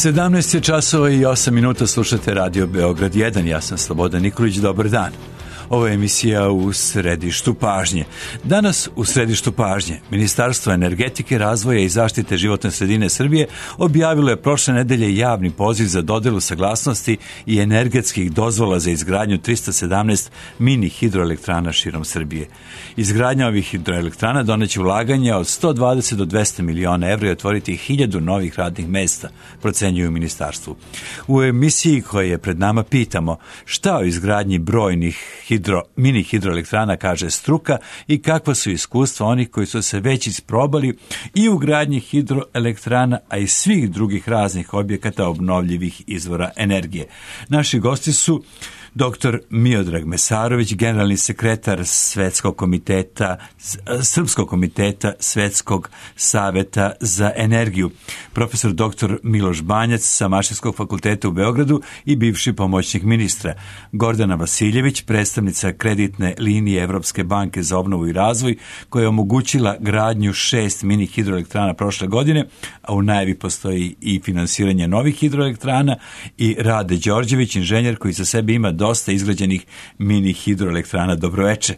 17 časova i 8 minuta, slušate Radio Beograd 1. Ja sam Slobodan Nikolić, dobar dan. Ovo je emisija U središtu pažnje. Danas u središtu pažnje Ministarstvo energetike, razvoja i zaštite životne sredine Srbije objavilo je prošle nedelje javni poziv za dodelu saglasnosti i energetskih dozvola za izgradnju 317 mini hidroelektrana širom Srbije. Izgradnja ovih hidroelektrana doneće ulaganja od 120 do 200 miliona evra i otvoriti 1000 novih radnih mesta, procenjuju u ministarstvu. U emisiji koja je pred nama pitamo šta o izgradnji brojnih mini hidroelektrana kaže struka i kakva su iskustva onih koji su se već isprobali i u gradnji hidroelektrana, a i svih drugih raznih objekata obnovljivih izvora energije. Naši gosti su dr. Miodrag Mesarović, generalni sekretar Srpskog komiteta Svetskog saveta za energiju, profesor dr. Miloš Banjac sa Mašinskog fakulteta u Beogradu i bivši pomoćnik ministra, Gordana Vasiljević, predstavnica kreditne linije Evropske banke za obnovu i razvoj, koja je omogućila gradnju 6 mini hidroelektrana prošle godine, a u najavi postoji i finansiranje novih hidroelektrana, i Rade Đorđević, inženjer koji za sebe ima dosta izgrađenih mini hidroelektrana. Dobroveče.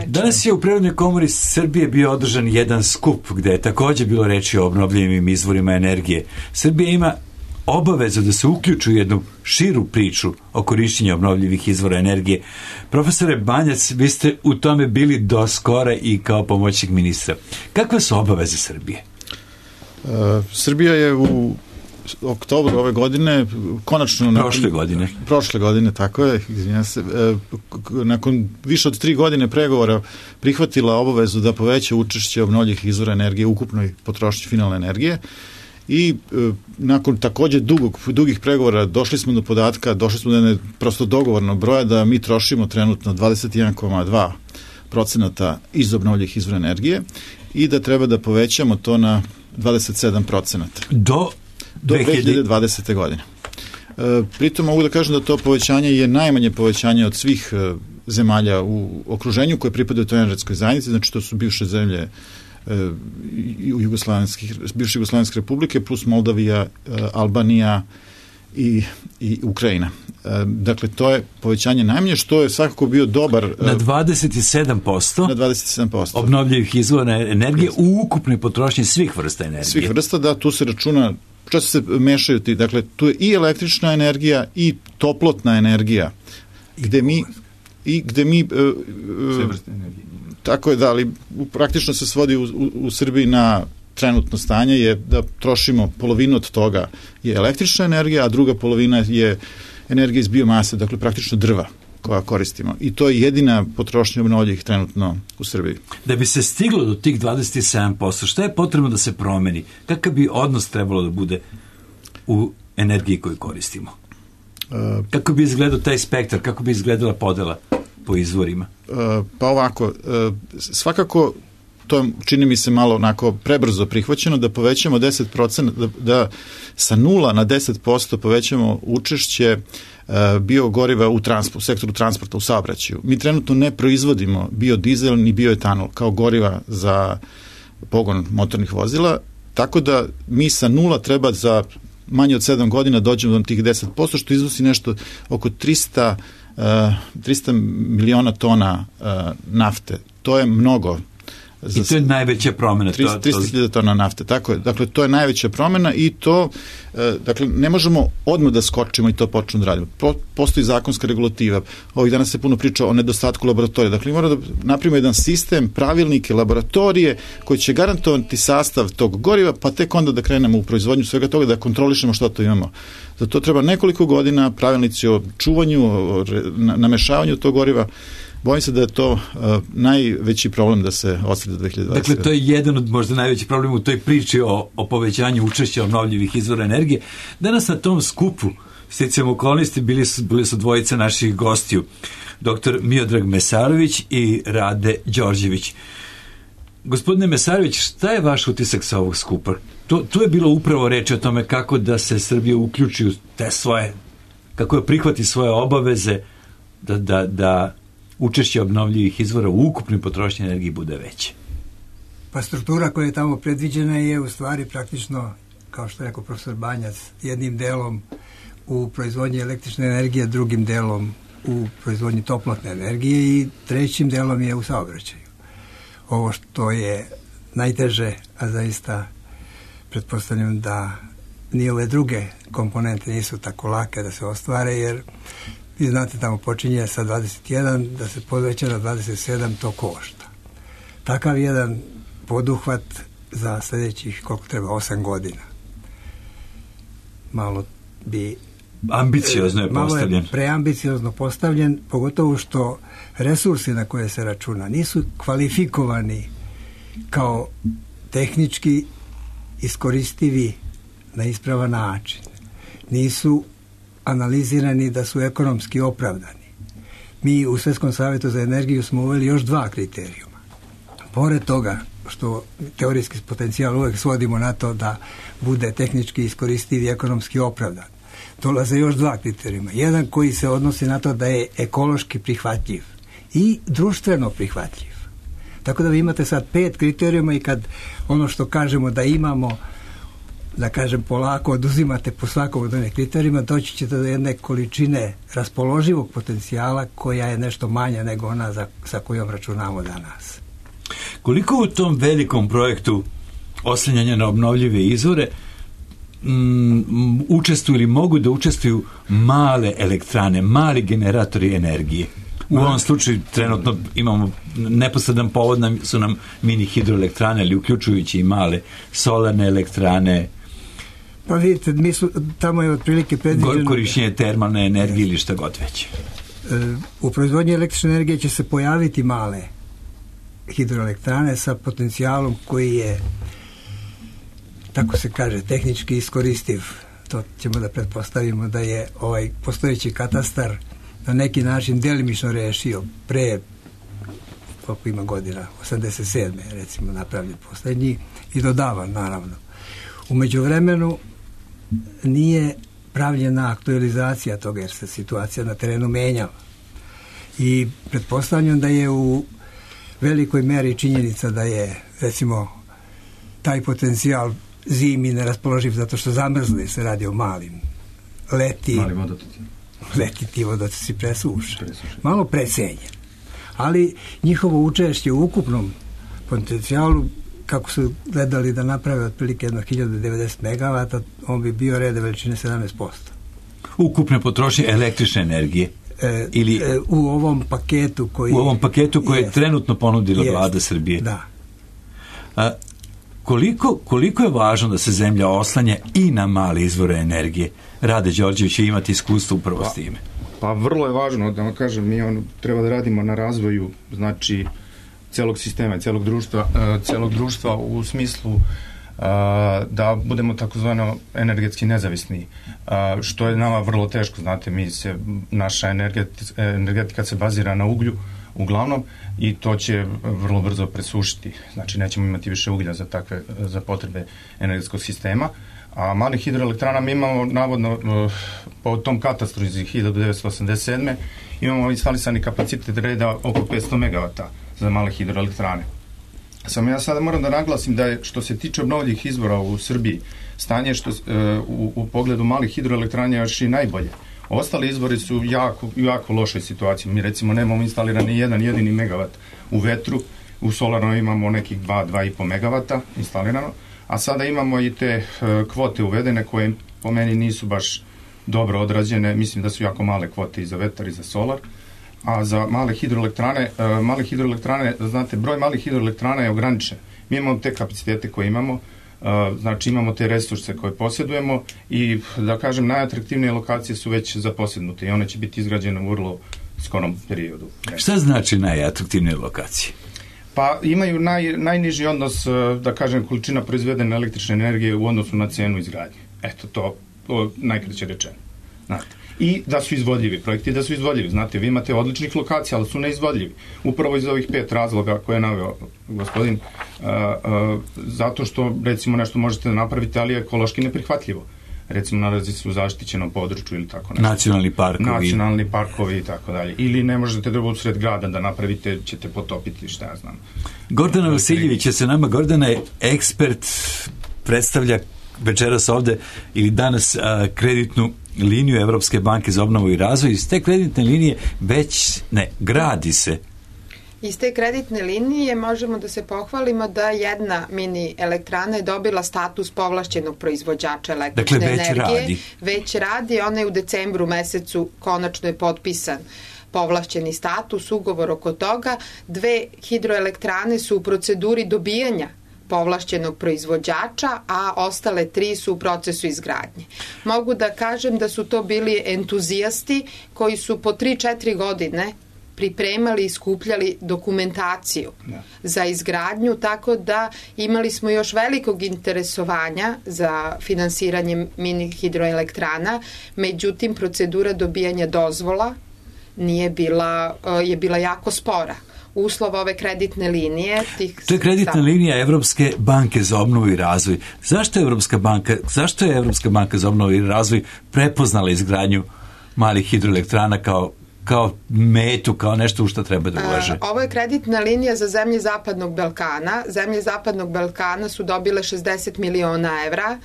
Danas je u Prirodnoj komori Srbije bio održan jedan skup gde je također bilo reči o obnovljivim izvorima energije. Srbija ima obavezu da se uključi u jednu širu priču o korišćenju obnovljivih izvora energije. Profesore Banjac, vi ste u tome bili do skora i kao pomoćnik ministra. Kakve su obaveze Srbije? Srbija je u oktobru ove godine, konačno prošle godine, tako je, izvinjam se, nakon više od 3 godine pregovora prihvatila obavezu da poveća učešće obnovljivih izvora energije u ukupnoj potrošnji finalne energije i nakon također dugih pregovora došli smo do prosto dogovornog broja da mi trošimo trenutno 21,2% iz obnovljivih izvora energije i da treba da povećamo to na 27%. Do 2020. godine. Pritom mogu da kažem da to povećanje je najmanje povećanje od svih zemalja u okruženju koje pripadaju toj energetskoj zajednici, znači to su bivše zemlje bivše Jugoslovenske republike plus Moldavija, Albanija i Ukrajina. Dakle, to je povećanje najmanje, što je svakako bio dobar... Na 27% obnovljivih izvora energije u ukupnoj potrošnji svih vrsta energije. Svih vrsta, da, tu se računa, često se mešaju ti, dakle, tu je i električna energija i toplotna energija, gde mi tako je, da, ali praktično se svodi u Srbiji na trenutno stanje je da trošimo polovinu od toga je električna energija, a druga polovina je energija iz biomase, dakle praktično drva koja koristimo. I to je jedina potrošnja obnovljivih trenutno u Srbiji. Da bi se stiglo do tih 27%, šta je potrebno da se promeni? Kakav bi odnos trebalo da bude u energiji koju koristimo? Kako bi izgledao taj spektar? Kako bi izgledala podela po izvorima? Pa ovako, svakako to čini mi se malo onako prebrzo prihvaćeno, da povećamo 10%, da sa 0 na 10% povećamo učešće biogoriva u sektoru transporta, u saobraćaju. Mi trenutno ne proizvodimo biodizel ni bioetanol kao goriva za pogon motornih vozila, tako da mi sa 0 treba za manje od 7 godina dođemo do tih 10%, što iznosi nešto oko 300 miliona tona nafte. To je mnogo. I to je najveća promjena. 300.000 tona nafte, tako je. Dakle, to je najveća promjena i to, dakle, ne možemo odmah da skočimo i to počnemo da radimo. Postoji zakonska regulativa. Ovih dana se puno priča o nedostatku laboratorija. Dakle, moramo da napravimo jedan sistem, pravilnike, laboratorije koji će garantovati sastav tog goriva, pa tek onda da krenemo u proizvodnju svega toga, da kontrolišemo što to imamo. Za to treba nekoliko godina, pravilnici o čuvanju, o namešavanju tog goriva. Bojim se da je to najveći problem da se ostvari do 2020. Dakle, to je jedan od možda najvećih problema u toj priči o povećanju učešća obnovljivih izvora energije. Danas na tom skupu, sticajem okolnosti, bili su dvojica naših gostiju, dr. Miodrag Mesarović i Rade Đorđević. Gospodine Mesarović, šta je vaš utisak sa ovog skupa? Tu je bilo upravo reči o tome kako da se Srbija uključi u te svoje, kako je prihvati svoje obaveze da učešće obnovljivih izvora u ukupnoj potrošnji energije bude veće. Pa struktura koja je tamo predviđena je u stvari praktično kao što je rekao profesor Banjac, jednim delom u proizvodnji električne energije, drugim delom u proizvodnji toplotne energije i trećim delom je u saobraćaju. Ovo što je najteže, a zaista pretpostavljam da ni ove druge komponente nisu tako lake da se ostvare, jer vi znate, tamo počinje sa 21, da se poveća na 27, to košta. Takav jedan poduhvat za sljedećih, koliko treba, 8 godina. Malo bi... Ambiciozno je postavljen. Malo je preambiciozno postavljen, pogotovo što resursi na koje se računa nisu kvalifikovani kao tehnički iskoristivi na ispravan način. Nisu analizirani da su ekonomski opravdani. Mi u Svjetskom savjetu za energiju smo uveli još 2 kriterijuma. Pored toga što teorijski potencijal uvijek svodimo na to da bude tehnički iskoristiv i ekonomski opravdan, dolaze još 2 kriterijuma. Jedan koji se odnosi na to da je ekološki prihvatljiv i društveno prihvatljiv. Tako da vi imate sad 5 kriterijuma i kad ono što kažemo da imamo, da kažem polako, oduzimate po svakom od onih kriterijuma, doći ćete do jedne količine raspoloživog potencijala koja je nešto manja nego ona sa kojom računamo danas. Koliko u tom velikom projektu oslanjanja na obnovljive izvore učestvuju ili mogu da učestvuju male elektrane, mali generatori energije? U ovom slučaju trenutno imamo neposredan povod, su nam mini hidroelektrane, ali uključujući i male solarne elektrane. Pa vidite, tamo je otprilike predviđeno... Korišćenje termalne energije ili šta god već. U proizvodnji električne energije će se pojaviti male hidroelektrane sa potencijalom koji je, tako se kaže, tehnički iskoristiv. To ćemo da pretpostavimo da je ovaj postojeći katastar na neki način delimično rešio pre, koliko ima godina, 87. recimo napravljen poslednji i dodavan naravno. U međuvremenu nije pravljena aktualizacija toga jer se situacija na terenu menjava. I pretpostavljam da je u velikoj meri činjenica da je recimo taj potencijal zimi neraspoloživ zato što zamrzne, se radi o malim leti ti vodotoci presuše. Malo precenjen. Ali njihovo učešće u ukupnom potencijalu, kako su gledali da naprave otprilike 1090 megavata, on bi bio reda veličine 17%. Ukupne potrošnje električne energije? U ovom paketu koji je trenutno ponudila vlada Srbije. Da. Koliko je važno da se zemlja oslanja i na male izvore energije? Rade Đorđević će imati iskustvo upravo s time. Pa vrlo je važno, da vam kažem, mi treba da radimo na razvoju, znači, celog sistema i celog društva u smislu da budemo takozvano energetski nezavisni, što je nama vrlo teško, znate, naša energetika se bazira na uglju uglavnom i to će vrlo brzo presušiti, znači nećemo imati više uglja za potrebe energetskog sistema, a mali hidroelektrana mi imamo navodno po tom katastru iz 1987. imamo instalisani kapacitet reda oko 500 megavata za male hidroelektrane. Samo ja sada moram da naglasim da je, što se tiče obnovljivih izvora u Srbiji, stanje u pogledu malih hidroelektrana još i najbolje. Ostali izvori su u jako lošoj situaciji. Mi recimo nemamo instalirani jedan jedini megavat u vetru, u solarno imamo nekih 2,5 megavata instalirano, a sada imamo i te kvote uvedene koje po meni nisu baš dobro odrađene. Mislim da su jako male kvote i za vetar i za solar. A za male hidroelektrane, znate, broj malih hidroelektrana je ograničen. Mi imamo te kapacitete koje imamo, znači imamo te resurse koje posjedujemo i, da kažem, najatraktivnije lokacije su već zaposjednute i one će biti izgrađene u vrlo skorom periodu. Šta znači najatraktivnije lokacije? Pa imaju najniži odnos, da kažem, količina proizvedene električne energije u odnosu na cenu izgradnje. Eto, to najkraće rečeno. Znate. I da su izvodljivi, projekti da su izvodljivi. Znate, vi imate odličnih lokacija, ali su neizvodljivi. Upravo iz ovih 5 razloga koje je naveo gospodin, zato što, recimo, nešto možete da napravite, ali je ekološki neprihvatljivo. Recimo, nalazi se u zaštićenom području ili tako nešto. Nacionalni parkovi i tako dalje. Ili ne možete da usred grada da napravite, ćete potopiti, šta ja znam. Gordana Vasiljević je sa nama. Gordana je ekspert, predstavlja večeras ovde ili danas kreditnu liniju Evropske banke za obnovu i razvoj. Iz te kreditne linije gradi se. Iz te kreditne linije možemo da se pohvalimo da jedna mini elektrana je dobila status povlašćenog proizvođača električne energije. Već radi, ona je u decembru mesecu konačno je potpisan povlašćeni status, ugovor oko toga. 2 hidroelektrane su u proceduri dobijanja povlašćenog proizvođača, a ostale 3 su u procesu izgradnje. Mogu da kažem da su to bili entuzijasti koji su po 3-4 godine pripremali i skupljali dokumentaciju za izgradnju, tako da imali smo još velikog interesovanja za finansiranje mini hidroelektrana, međutim procedura dobijanja dozvola je bila jako spora. Uslov ove kreditne linije... To je kreditna linija Evropske banke za obnovu i razvoj. Zašto je Evropska banka za obnovu i razvoj prepoznala izgradnju malih hidroelektrana kao metu, kao nešto u što treba da ulaže? Ovo je kreditna linija za zemlje Zapadnog Balkana. Zemlje Zapadnog Balkana su dobile 60 miliona evra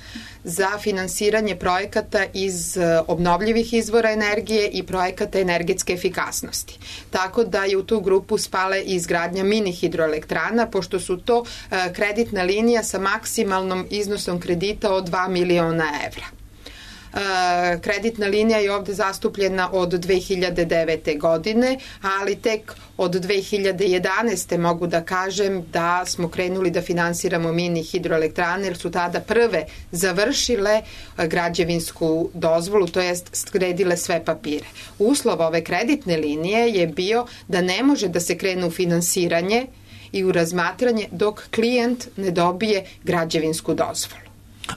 za finansiranje projekata iz obnovljivih izvora energije i projekata energetske efikasnosti. Tako da je u tu grupu spale i izgradnja mini hidroelektrana, pošto su to kreditna linija sa maksimalnom iznosom kredita od 2 miliona evra. Kreditna linija je ovde zastupljena od 2009. godine, ali tek od 2011. mogu da kažem da smo krenuli da finansiramo mini hidroelektrane, jer su tada prve završile građevinsku dozvolu, to jest skredile sve papire. Uslov ove kreditne linije je bio da ne može da se krene u finansiranje i u razmatranje dok klijent ne dobije građevinsku dozvolu.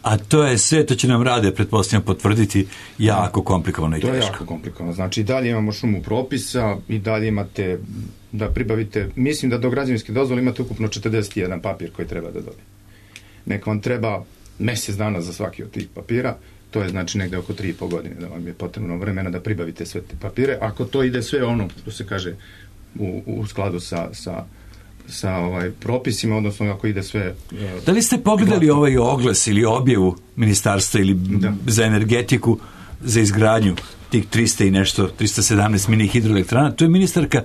A to je sve, to će nam Rade, pretpostavljam, potvrditi, jako komplikovano i teško. To je jako komplikovano. Znači, i dalje imamo šumu propisa, i dalje imate da pribavite, mislim da do građevinske dozvole imate ukupno 41 papir koji treba da dobije. Neka vam treba mesec dana za svaki od tih papira, to je znači negde oko 3,5 godine da vam je potrebno vremena da pribavite sve te papire. Ako to ide sve ono, što se kaže, u skladu sa propisima, odnosno ako ide sve... Da li ste pogledali ovaj oglas ili objavu ministarstva ili za energetiku za izgradnju tih 317 mini hidroelektrana? To je ministarka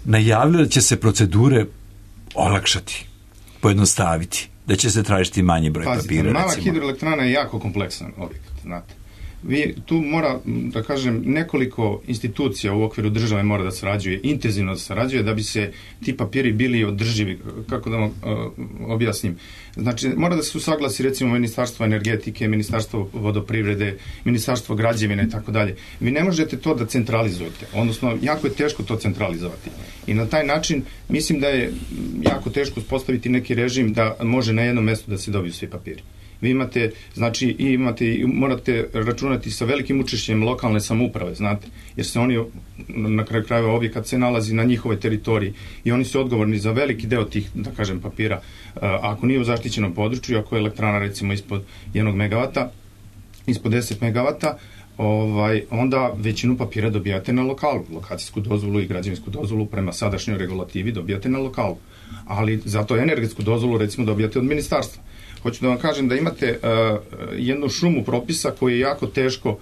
najavila da će se procedure olakšati, pojednostaviti, da će se tražiti manji broj papira. Mala hidroelektrana je jako kompleksan objekat, znate. Tu mora, da kažem, nekoliko institucija u okviru države mora da sarađuje, intenzivno da sarađuje, da bi se ti papiri bili održivi, kako da vam objasnim. Znači, mora da se usaglasi, recimo, Ministarstvo energetike, Ministarstvo vodoprivrede, Ministarstvo građevine i tako dalje. Vi ne možete to da centralizujete, odnosno, jako je teško to centralizovati. I na taj način, mislim da je jako teško uspostaviti neki režim da može na jednom mestu da se dobiju svi papiri. Vi imate, znači, morate računati sa velikim učešćem lokalne samouprave, znate, jer se oni, na kraju krajeva, objekat se nalazi na njihovoj teritoriji i oni su odgovorni za veliki deo tih, da kažem, papira. Ako nije u zaštićenom području, ako je elektrana, recimo, ispod 1 megavata, ispod 10 megavata, onda većinu papira dobijate na lokalu. Lokacijsku dozvolu i građevinsku dozvolu prema sadašnjoj regulativi dobijate na lokalu. Ali zato energetsku dozvolu, recimo, dobijate od ministarstva. Hoću da vam kažem da imate jednu šumu propisa koju je jako teško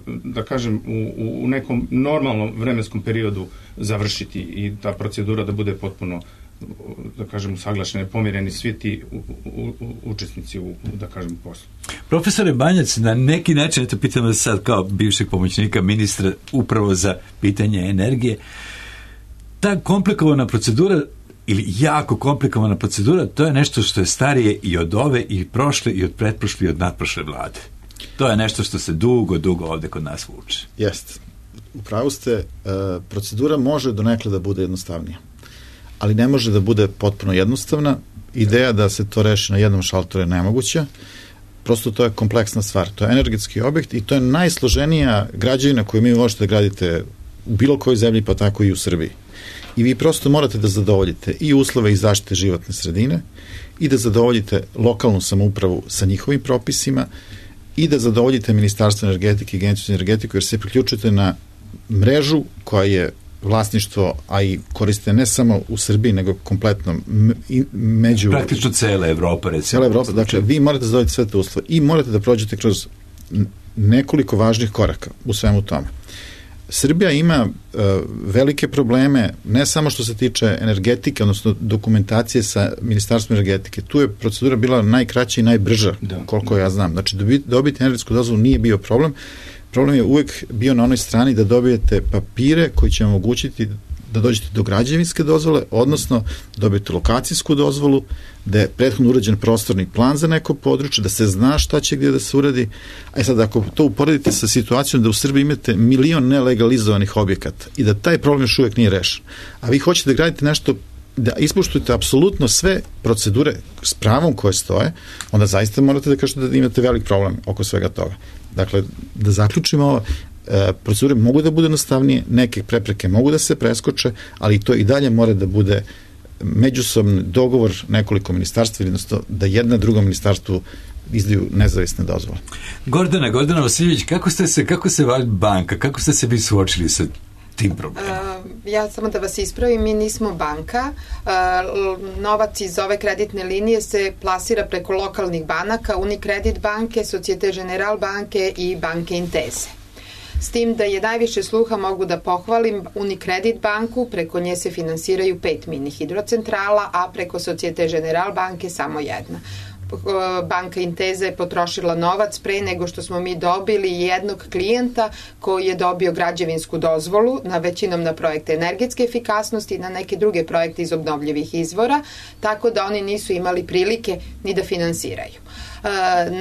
da kažem u nekom normalnom vremenskom periodu završiti i ta procedura da bude potpuno, da kažem, usaglašene, pomireni svi ti učesnici u, da kažem, poslu. Profesore Banjac, na neki način, eto pitam vas sad kao bivšeg pomoćnika ministra upravo za pitanje energije, ta komplikovana procedura ili jako komplikovana procedura, to je nešto što je starije i od ove, i prošle, i od pretprošle, i od nadprošle vlade. To je nešto što se dugo ovde kod nas vuče. Jeste. Upravo ste, procedura može donekle da bude jednostavnija, ali ne može da bude potpuno jednostavna. Ideja da se to reši na jednom šaltoru je nemoguća. Prosto to je kompleksna stvar. To je energetski objekt i to je najsloženija građevina koju mi možete da gradite u bilo kojoj zemlji, pa tako i u Srbiji. I vi prosto morate da zadovoljite i uslove i zaštite životne sredine i da zadovoljite lokalnu samoupravu sa njihovim propisima i da zadovoljite Ministarstvo energetike i Agenciju za energetiku, jer se priključujete na mrežu koja je vlasništvo, a i koriste ne samo u Srbiji, nego kompletno među... Praktično cela Evropa, recimo. Cela Evropa, dakle, vi morate da dobijete sve te uslove i morate da prođete kroz nekoliko važnih koraka u svemu tome. Srbija ima velike probleme, ne samo što se tiče energetike, odnosno dokumentacije sa Ministarstvom energetike. Tu je procedura bila najkraća i najbrža, koliko ja znam. Znači, dobiti energetsku dozvolu nije bio problem. Problem je uvek bio na onoj strani da dobijete papire koji će omogućiti da dođete do građevinske dozvole, odnosno dobijete lokacijsku dozvolu, da je prethodno urađen prostorni plan za neko područje, da se zna šta će gdje da se uradi. A sad, ako to uporedite sa situacijom da u Srbiji imate 1 milion nelegalizovanih objekata i da taj problem još uvek nije rešen, a vi hoćete da gradite nešto, da ispoštujete apsolutno sve procedure s pravom koje stoje, onda zaista morate da kažete da imate velik problem oko svega toga. Dakle, da zaključimo ovo, procedure mogu da budu jednostavnije, neke prepreke mogu da se preskoče, ali to i dalje mora da bude međusobni dogovor nekoliko ministarstva, jednostavno da jedna druga ministarstvu izdaju nezavisne dozvole. Gordana Vasiljević, kako se vaš banka, kako ste se vi suočili sa tim problemom? Ja samo da vas ispravim, mi nismo banka. Novac iz ove kreditne linije se plasira preko lokalnih banaka, Unicredit banke, Societe Generale banke i banke Intese. S tim da je najviše sluha, mogu da pohvalim, Unicredit banku, preko nje se finansiraju 5 mini hidrocentrala, a preko Societe Generale banke samo jedna. Banka Inteza je potrošila novac pre nego što smo mi dobili jednog klijenta koji je dobio građevinsku dozvolu, većinom na projekte energetske efikasnosti i na neke druge projekte iz obnovljivih izvora, tako da oni nisu imali prilike ni da finansiraju.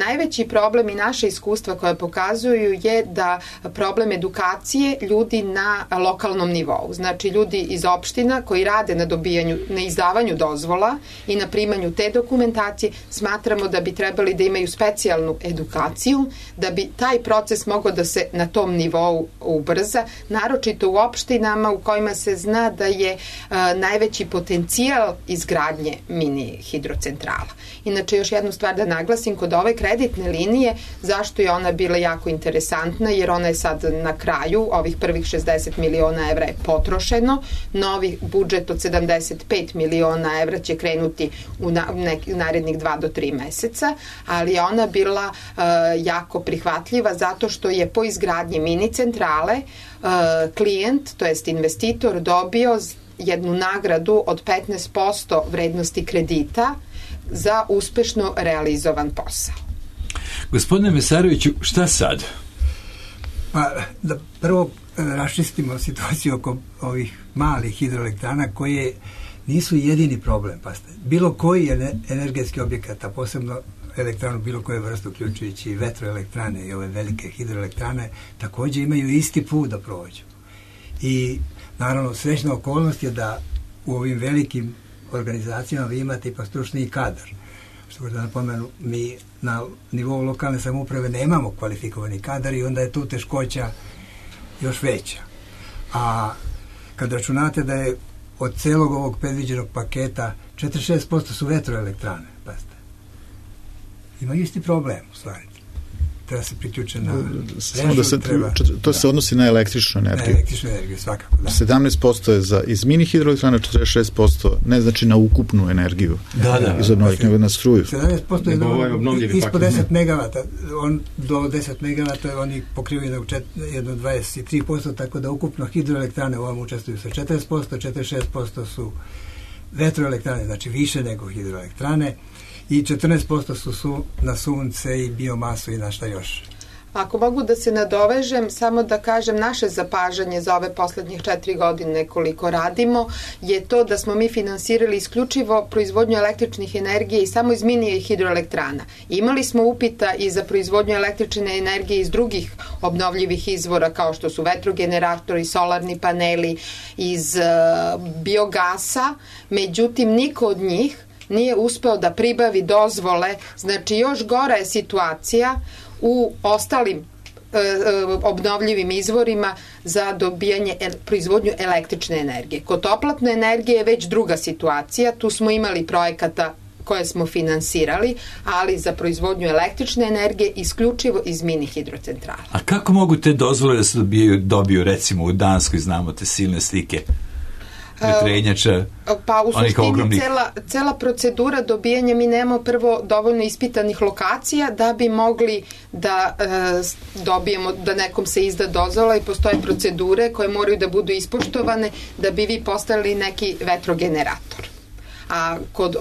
Najveći problem i naše iskustva koje pokazuju je da problem edukacije ljudi na lokalnom nivou. Znači ljudi iz opština koji rade na izdavanju dozvola i na primanju te dokumentacije, smatramo da bi trebali da imaju specijalnu edukaciju, da bi taj proces mogao da se na tom nivou ubrza, naročito u opštinama u kojima se zna da je najveći potencijal izgradnje mini hidrocentrala. Inače, još jednu stvar da naglasim, kod ove kreditne linije, zašto je ona bila jako interesantna, jer ona je sad na kraju, ovih prvih 60 miliona evra je potrošeno, novi budžet od 75 miliona evra će krenuti u narednih 2 do 3 meseca, ali je ona bila jako prihvatljiva zato što je po izgradnji mini centrale klijent, to jest investitor, dobio jednu nagradu od 15% vrednosti kredita za uspešno realizovan posao. Gospodine Mesaroviću, šta sad? Pa, da prvo raščistimo situaciju oko ovih malih hidroelektrana koje nisu jedini problem. Pa, bilo koji energetski objekat, a posebno elektranu bilo koje vrste, uključujući vetroelektrane i ove velike hidroelektrane, također imaju isti put da prođu. I naravno, srećna okolnost je da u ovim velikim organizacijama vi imate ipak stručni kadar. Što da napomenu, mi na nivou lokalne samouprave nemamo kvalifikovani kadar i onda je tu teškoća još veća. A kad računate da je od celog ovog predviđenog paketa 46% su vetroelektrane, pazite. Imaju isti problem, u stvari. Treba se priključiti na to se odnosi na električnu energiju. Na električnu energiju, svakako, da. 17% je iz mini hidroelektrana, 46% ne znači na ukupnu energiju iz obnovljivih, nego na struju. 17% je ispod 10 megavata, do 10 megavata oni pokrivaju jedno 23%, tako da ukupno hidroelektrane u ovom učestvuju sa 40%, 46% su vetroelektrane, znači više nego hidroelektrane, i 14% su na sunce i biomasu i na šta još. Ako mogu da se nadovežem, samo da kažem naše zapažanje za ove poslednjih 4 godine koliko radimo, je to da smo mi finansirali isključivo proizvodnju električnih energije i samo iz mini hidroelektrana. Imali smo upita i za proizvodnju električne energije iz drugih obnovljivih izvora kao što su vetrogeneratori, solarni paneli, iz biogasa, međutim niko od njih nije uspeo da pribavi dozvole, znači još gora je situacija u ostalim obnovljivim izvorima za dobijanje proizvodnju električne energije. Kod toplotne energije je već druga situacija, tu smo imali projekata koje smo finansirali, ali za proizvodnju električne energije isključivo iz mini hidrocentrala. A kako mogu te dozvole da se dobiju recimo u Danskoj, znamo te silne slike vetrenjača, pa u suštini ogromnih... cela procedura dobijanja, mi nemamo prvo dovoljno ispitanih lokacija da bi mogli da dobijemo, da nekom se izda dozvola, i postoje procedure koje moraju da budu ispoštovane da bi vi postavili neki vetrogenerator. A kod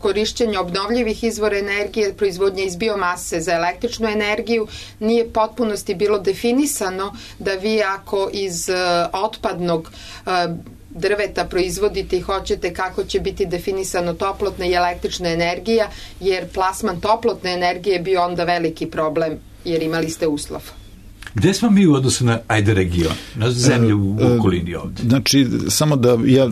korišćenja obnovljivih izvora energije, proizvodnje iz biomase za električnu energiju, nije potpunosti bilo definisano da vi ako iz otpadnog drveta proizvodite i hoćete kako će biti definisano toplotna i električna energija, jer plasman toplotne energije bi onda veliki problem, jer imali ste uslov. Gde smo mi u odnosu na region, na zemlju u okolini ovde? Znači, samo da ja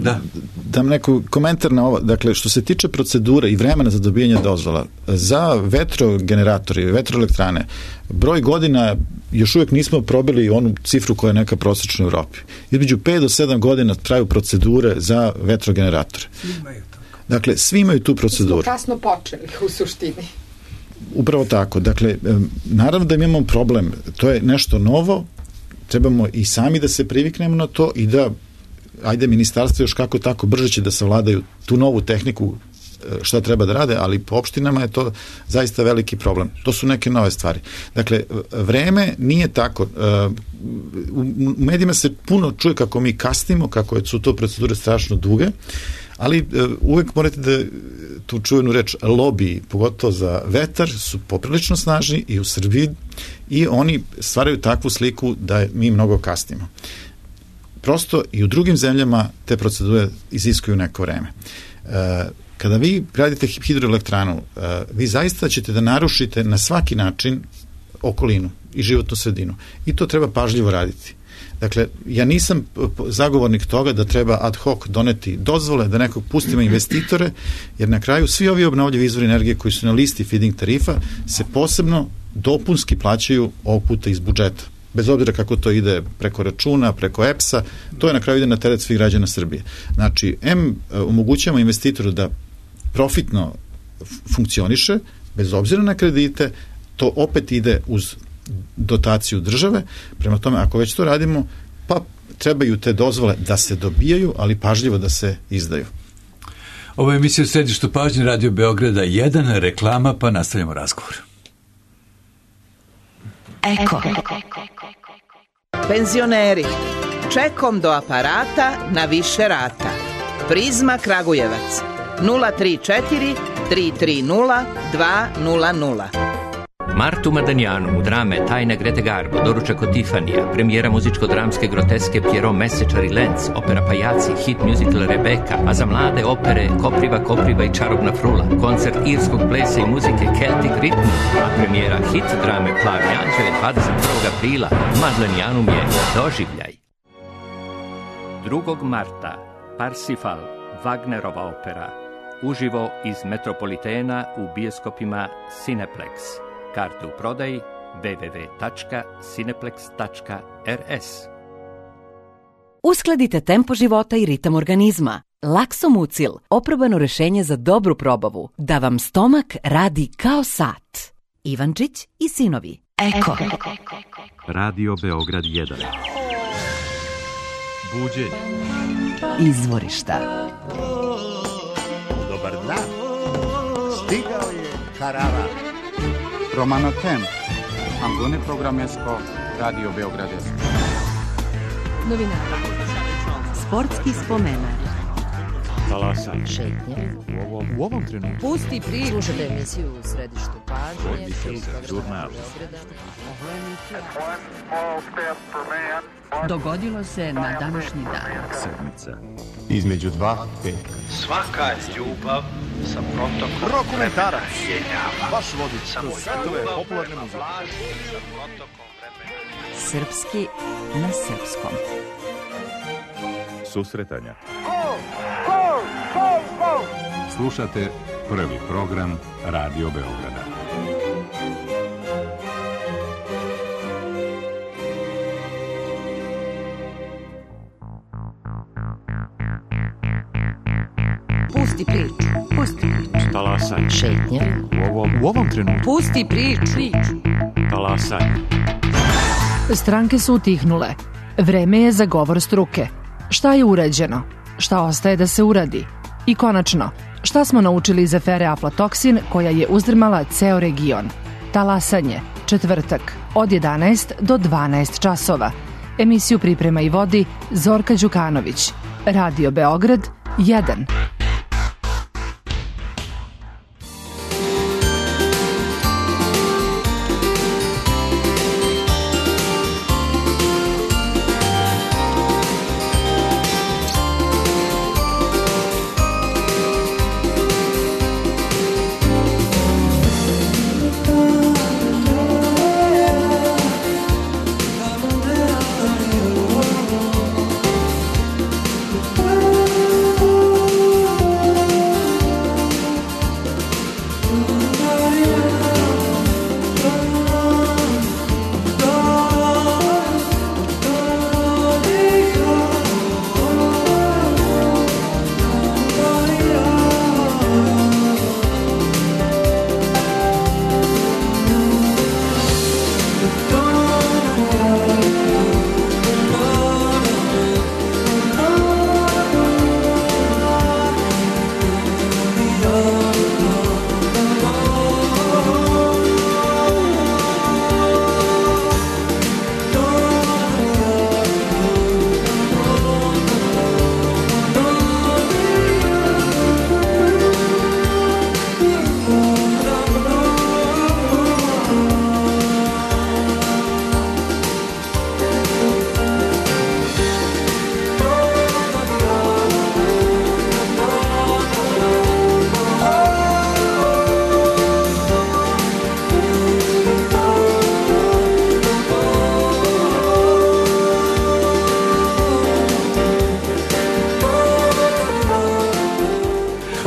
dam neko komentar na ovo. Dakle, što se tiče procedure i vremena za dobijanje dozvola, za vetrogeneratore i vetroelektrane, broj godina još uvijek nismo probili onu cifru koja je neka prosječna u Evropi. Između 5 do 7 godina traju procedure za vetrogeneratore. Svi imaju to. Dakle, svi imaju tu proceduru. Smo kasno počeli u suštini. Upravo tako. Dakle, naravno da imamo problem. To je nešto novo, trebamo i sami da se priviknemo na to i da, ajde, ministarstvo još kako tako brže će da savladaju tu novu tehniku šta treba da rade, ali po opštinama je to zaista veliki problem. To su neke nove stvari. Dakle, vreme nije tako. U medijima se puno čuje kako mi kasnimo, kako su to procedure strašno duge, ali uvek morate da tu čuvenu reč lobiji, pogotovo za vetar, su poprilično snažni i u Srbiji i oni stvaraju takvu sliku da mi mnogo kasnimo. Prosto i u drugim zemljama te procedure iziskuju neko vreme. Kada vi gradite hidroelektranu, vi zaista ćete da narušite na svaki način okolinu i životnu sredinu. I to treba pažljivo raditi. Dakle, ja nisam zagovornik toga da treba ad hoc doneti dozvole, da nekog pustimo investitore, jer na kraju svi ovi obnovljivi izvori energije koji su na listi feed-in tarifa se posebno dopunski plaćaju ovog puta iz budžeta. Bez obzira kako to ide preko računa, preko EPS-a, to je na kraju ide na teret svih građana Srbije. Znači, omogućujemo investitoru da profitno funkcioniše, bez obzira na kredite, to opet ide uz dotaciju države. Prema tome, ako već to radimo, pa trebaju te dozvole da se dobijaju, ali pažljivo da se izdaju. Ovo je emisija u središtu pažnje Radio Beograda 1, reklama, pa nastavljamo razgovor. Eko. Penzioneri, čekom do aparata na više rata. Prizma Kragujevac 034 330 200. Martu Madanjanu u drame Tajne Grete Garbo, doručak od Tifanija, premijera muzičko-dramske groteske Pierrot Mesečar i Lenz, opera Pajaci, hit musical Rebeka, a za mlade opere Kopriva i Čarobna frula, koncert irskog plesa i muzike Celtic Rhythm, a premijera hit drame Plavi anđele 21. aprila. Madlenjanum je doživljaj. 2. marta Parsifal, Wagnerova opera, uživo iz Metropolitena u bioskopima Cineplex. Karte u prodaji www.cineplex.rs. Uskladite tempo života i ritam organizma. Laksomucil, oprobano rešenje za dobru probavu, da vam stomak radi kao sat. Ivančić i sinovi. Eko. Radio Beograd 1. Buđenje. Izvorišta. Dobar dan. Stigao je karavan. Romano Tem, Angone Programesko, Radio Beograd. Novinara. Sportski spomenar. Talasan. Šetnje. U ovom trenutku. Pusti priču. Slušajte emisiju u središtu pažnje. Žurnal. Dogodilo se na današnji dan. Sedmica. Između 2 petka. Svaka ljubav sa protokom Rokomentarac. vremena. Vaš vodič kroz svetove popularne muzike. Srpski na srpskom. Susretanja. Slušate prvi program Radio Beograda. Pusti priču. Pusti priču. Talasaj. Šetnja. U ovom trenutku. Pusti priču. Talasaj. Stranke su utihnule. Vreme je za govor struke. Šta je urađeno? Šta ostaje da se uradi? I konačno, šta smo naučili iz afere aflatoksin koja je uzdrmala ceo region? Talasanje, četvrtak, od 11 do 12 časova. Emisiju priprema i vodi Zorka Đukanović. Radio Beograd 1.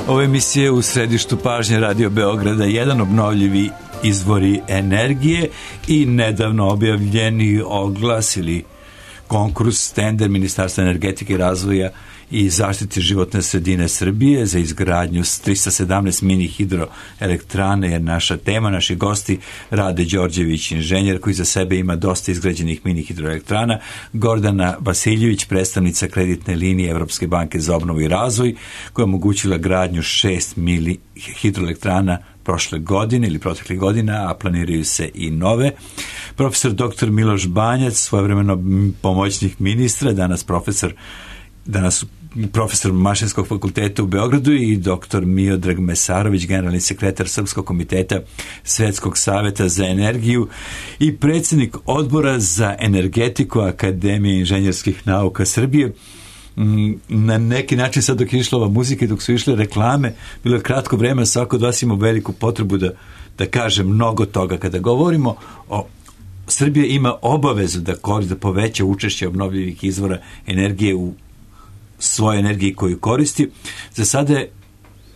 Ove emisije u središtu pažnje Radio Beograda, jedan obnovljivi izvori energije i nedavno objavljeni oglas ili konkurs, tender Ministarstva energetike i razvoja i zaštite životne sredine Srbije za izgradnju 317 mini hidroelektrane je naša tema. Naši gosti Rade Đorđević, inženjer koji za sebe ima dosta izgrađenih mini hidroelektrana, Gordana Vasiljević, predstavnica kreditne linije Evropske banke za obnovu i razvoj, koja je omogućila gradnju 6 mini hidroelektrana prošle godine ili proteklih godina, a planiraju se i nove. Profesor dr. Miloš Banjac, svojevremeno pomoćnik ministra, danas profesor Mašinskog fakulteta u Beogradu, i dr. Miodrag Mesarović, generalni sekretar Srpskog komiteta Svetskog saveta za energiju i predsjednik odbora za energetiku Akademije inženjerskih nauka Srbije. Na neki način, sad dok je išla ova muzika i dok su išle reklame, bilo je kratko vreme, svako od vas ima veliku potrebu da kaže mnogo toga. Kada govorimo o Srbija ima obavezu da poveća učešće obnovljivih izvora energije u svoje energiji koju koristi. Za sada je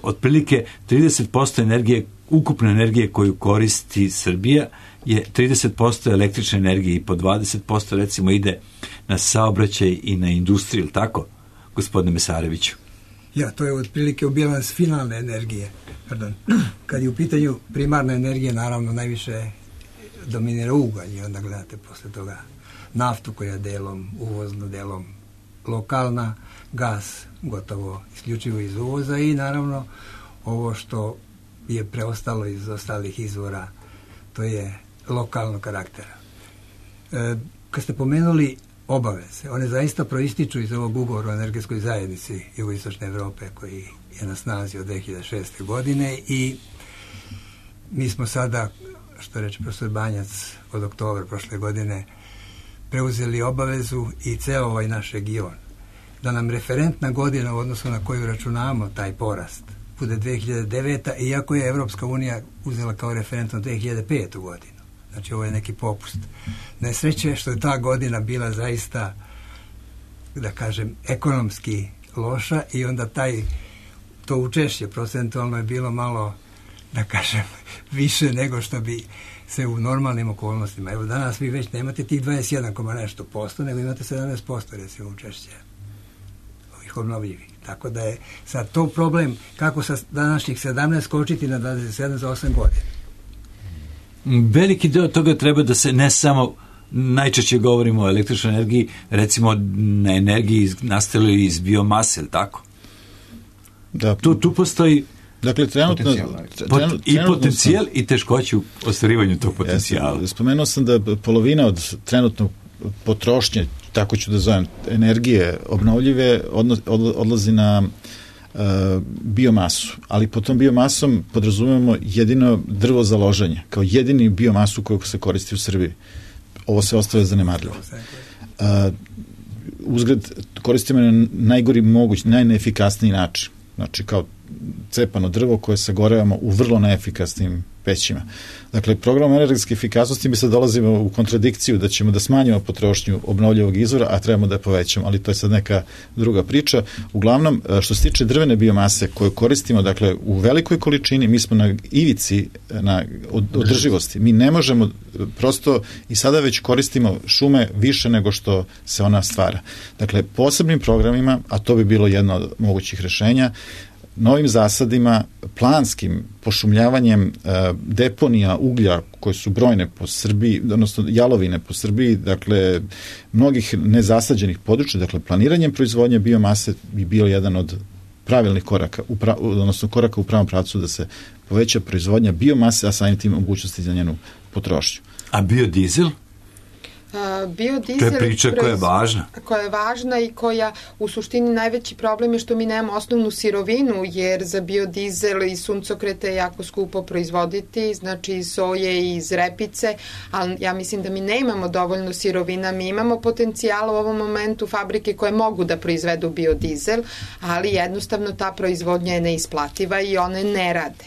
otprilike 30% energije, ukupne energije koju koristi Srbija je 30% električne energije i po 20% recimo ide na saobraćaj i na industriju, ili tako, gospodine Mesareviću? Ja, to je otprilike u bilans finalne energije. Pardon. Kad je u pitanju primarna energija, naravno najviše dominira ugalj i onda gledate posle toga naftu koja je delom uvozno, delom lokalna, gas gotovo isključivo iz uvoza i naravno ovo što je preostalo iz ostalih izvora, to je lokalnog karaktera. Kad ste pomenuli obaveze, one zaista proističu iz ovog ugovora o energetskoj zajednici Jugoistočne Evrope koji je na snazi od 2006. godine i mi smo sada, što reče profesor Banjac, od oktobra prošle godine preuzeli obavezu i ceo ovaj naš region da nam referentna godina u odnosu na koju računamo taj porast bude 2009. iako je Evropska unija uzela kao referentno 2005. godinu. Znači ovo je neki popust. Nesreće je što je ta godina bila zaista, da kažem, ekonomski loša i onda to učešće procentualno je bilo malo, da kažem, više nego što bi se u normalnim okolnostima. Evo danas vi već nemate tih 21, nešto posto, nego imate 17% recimo učešće ovih ovih obnovljivih. Tako da je sad to problem kako sa današnjih 17 skočiti na 27 za 8 godina. Veliki deo toga treba da se ne samo, najčešće govorimo o električnoj energiji, recimo na energiji nastaloj iz biomase, ili tako? Da. Tu postoji dakle, trenutno i potencijal i teškoće u ostvarivanju tog potencijala. Spomenuo sam da polovina od trenutnog potrošnje, tako ću da zovem, energije obnovljive odlazi na biomasu, ali pod tom biomasom podrazumemo jedino drvo za loženje, kao jedini biomasu koju se koristi u Srbiji. Ovo se ostaje zanemarljivo. Uzgled koristimo na najgori moguć, najneefikasniji način. Znači kao cepano drvo koje sagorevamo u vrlo neefikasnim pećima. Dakle, program energetske efikasnosti mi sad dolazimo u kontradikciju da ćemo da smanjimo potrošnju obnovljivog izvora, a trebamo da je povećamo, ali to je sad neka druga priča. Uglavnom, što se tiče drvene biomase koju koristimo, dakle, u velikoj količini, mi smo na ivici na održivosti. Mi ne možemo prosto i sada već koristimo šume više nego što se ona stvara. Dakle, posebnim programima, a to bi bilo jedno od mogućih rešenja, novim zasadima, planskim pošumljavanjem deponija uglja koje su brojne po Srbiji, odnosno jalovine po Srbiji, dakle mnogih nezasađenih područja, dakle planiranjem proizvodnje biomase bi bio jedan od pravilnih koraka, odnosno koraka u pravom pravcu da se poveća proizvodnja biomase, a samim tim mogućnosti za njenu potrošnju. A biodizel? Biodizel, to je priča koja je važna. Koja je važna i koja u suštini najveći problem je što mi nemamo osnovnu sirovinu, jer za biodizel i suncokrete je jako skupo proizvoditi, znači iz soje i iz repice, ali ja mislim da mi ne imamo dovoljno sirovina, mi imamo potencijala u ovom momentu fabrike koje mogu da proizvedu biodizel, ali jednostavno ta proizvodnja je neisplativa i one ne rade.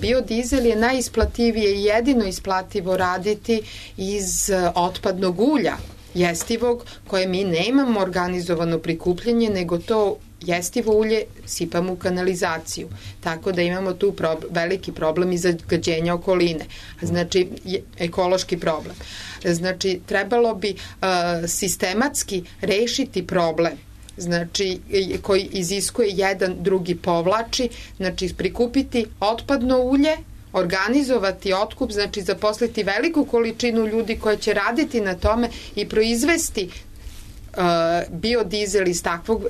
Biodizel je najisplativije i jedino isplativo raditi iz otpadnog ulja jestivog, koje mi ne imamo organizovano prikupljanje, nego to jestivo ulje sipamo u kanalizaciju. Tako da imamo tu veliki problem i zagađenja okoline. Znači, ekološki problem. Znači, trebalo bi sistematski rešiti problem, znači koji iziskuje jedan, drugi povlači, znači prikupiti otpadno ulje, organizovati otkup, znači zaposliti veliku količinu ljudi koji će raditi na tome i proizvesti biodizel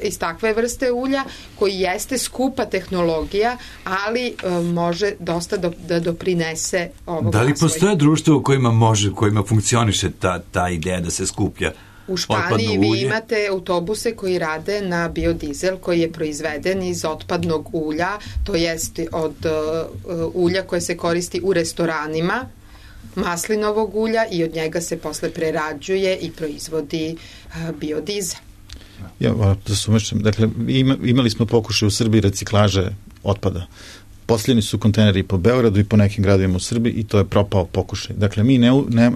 iz takve vrste ulja, koji jeste skupa tehnologija, ali može dosta da doprinese ovog razvoja. Da li postoje društvo u kojima funkcioniše ta ideja da se skuplja u Španiji? Vi imate autobuse koji rade na biodizel koji je proizveden iz otpadnog ulja, to jest od ulja koje se koristi u restoranima, maslinovog ulja, i od njega se posle prerađuje i proizvodi biodizel. Ja, da sumešam, dakle, imali smo pokušaj u Srbiji reciklaže otpada. Posljedni su kontejneri po Beogradu i po nekim gradovima u Srbiji i to je propao pokušaj. Dakle, mi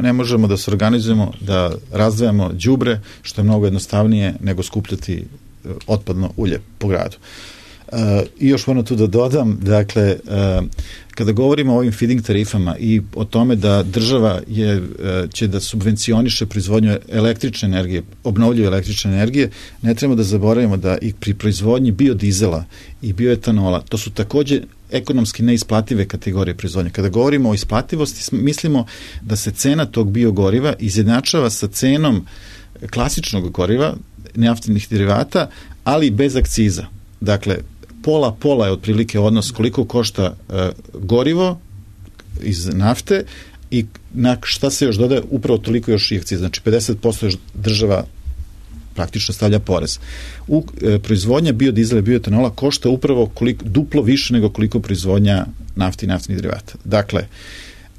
ne možemo da se organizujemo, da razdvajamo đubre, što je mnogo jednostavnije nego skupljati otpadno ulje po gradu. I još moram tu da dodam, dakle, kada govorimo o ovim feeding tarifama i o tome da država će da subvencioniše proizvodnju električne energije, obnovljive električne energije, ne trebamo da zaboravimo da i pri proizvodnji biodizela i bioetanola, to su takođe ekonomski neisplative kategorije proizvodnje. Kada govorimo o isplativosti, mislimo da se cena tog biogoriva izjednačava sa cenom klasičnog goriva, naftnih derivata, ali bez akciza. Dakle, pola je otprilike odnos koliko košta gorivo iz nafte i na šta se još dodaje, upravo toliko još i akciza. Znači 50% još država praktično stavlja porez. Proizvodnja biodizela i bioetanola košta upravo duplo više nego koliko proizvodnja nafte i naftnih derivata. Dakle,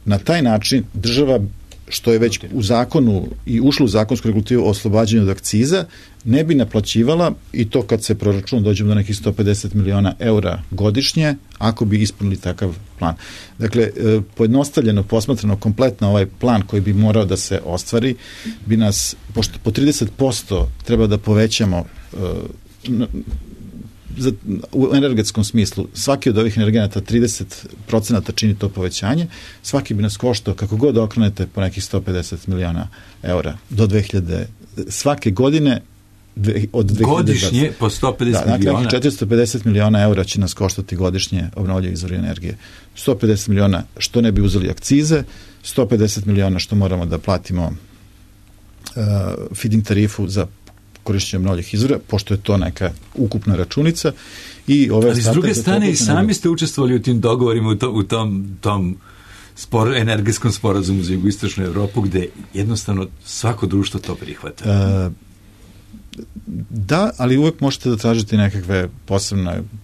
na taj način država, što je već u zakonu i ušlo u zakonsku regulativu o oslobađanju od akciza, ne bi naplaćivala, i to kad se proračuna dođemo do nekih 150 miliona eura godišnje, ako bi ispunili takav plan. Dakle, pojednostavljeno, posmatrano kompletno ovaj plan koji bi morao da se ostvari, bi nas, pošto po 30% treba da povećamo u energetskom smislu, svaki od ovih energenata 30% čini to povećanje, svaki bi nas koštao, kako god okrenete, po nekih 150 miliona eura do 2000. Svake godine od 2020. Godišnje po 150 miliona? Dakle, 450 miliona eura će nas koštati godišnje obnovljivi izvori energije. 150 miliona što ne bi uzeli akcize, 150 miliona što moramo da platimo feeding tarifu za korišćenje obnovljivih izvora, pošto je to neka ukupna računica. Ali s druge strane i sami ste učestvovali u tim dogovorima, u tom energetskom sporazumu za jugoistočnu Evropu, gde jednostavno svako društvo to prihvata. Da, ali uvek možete da tražite nekakve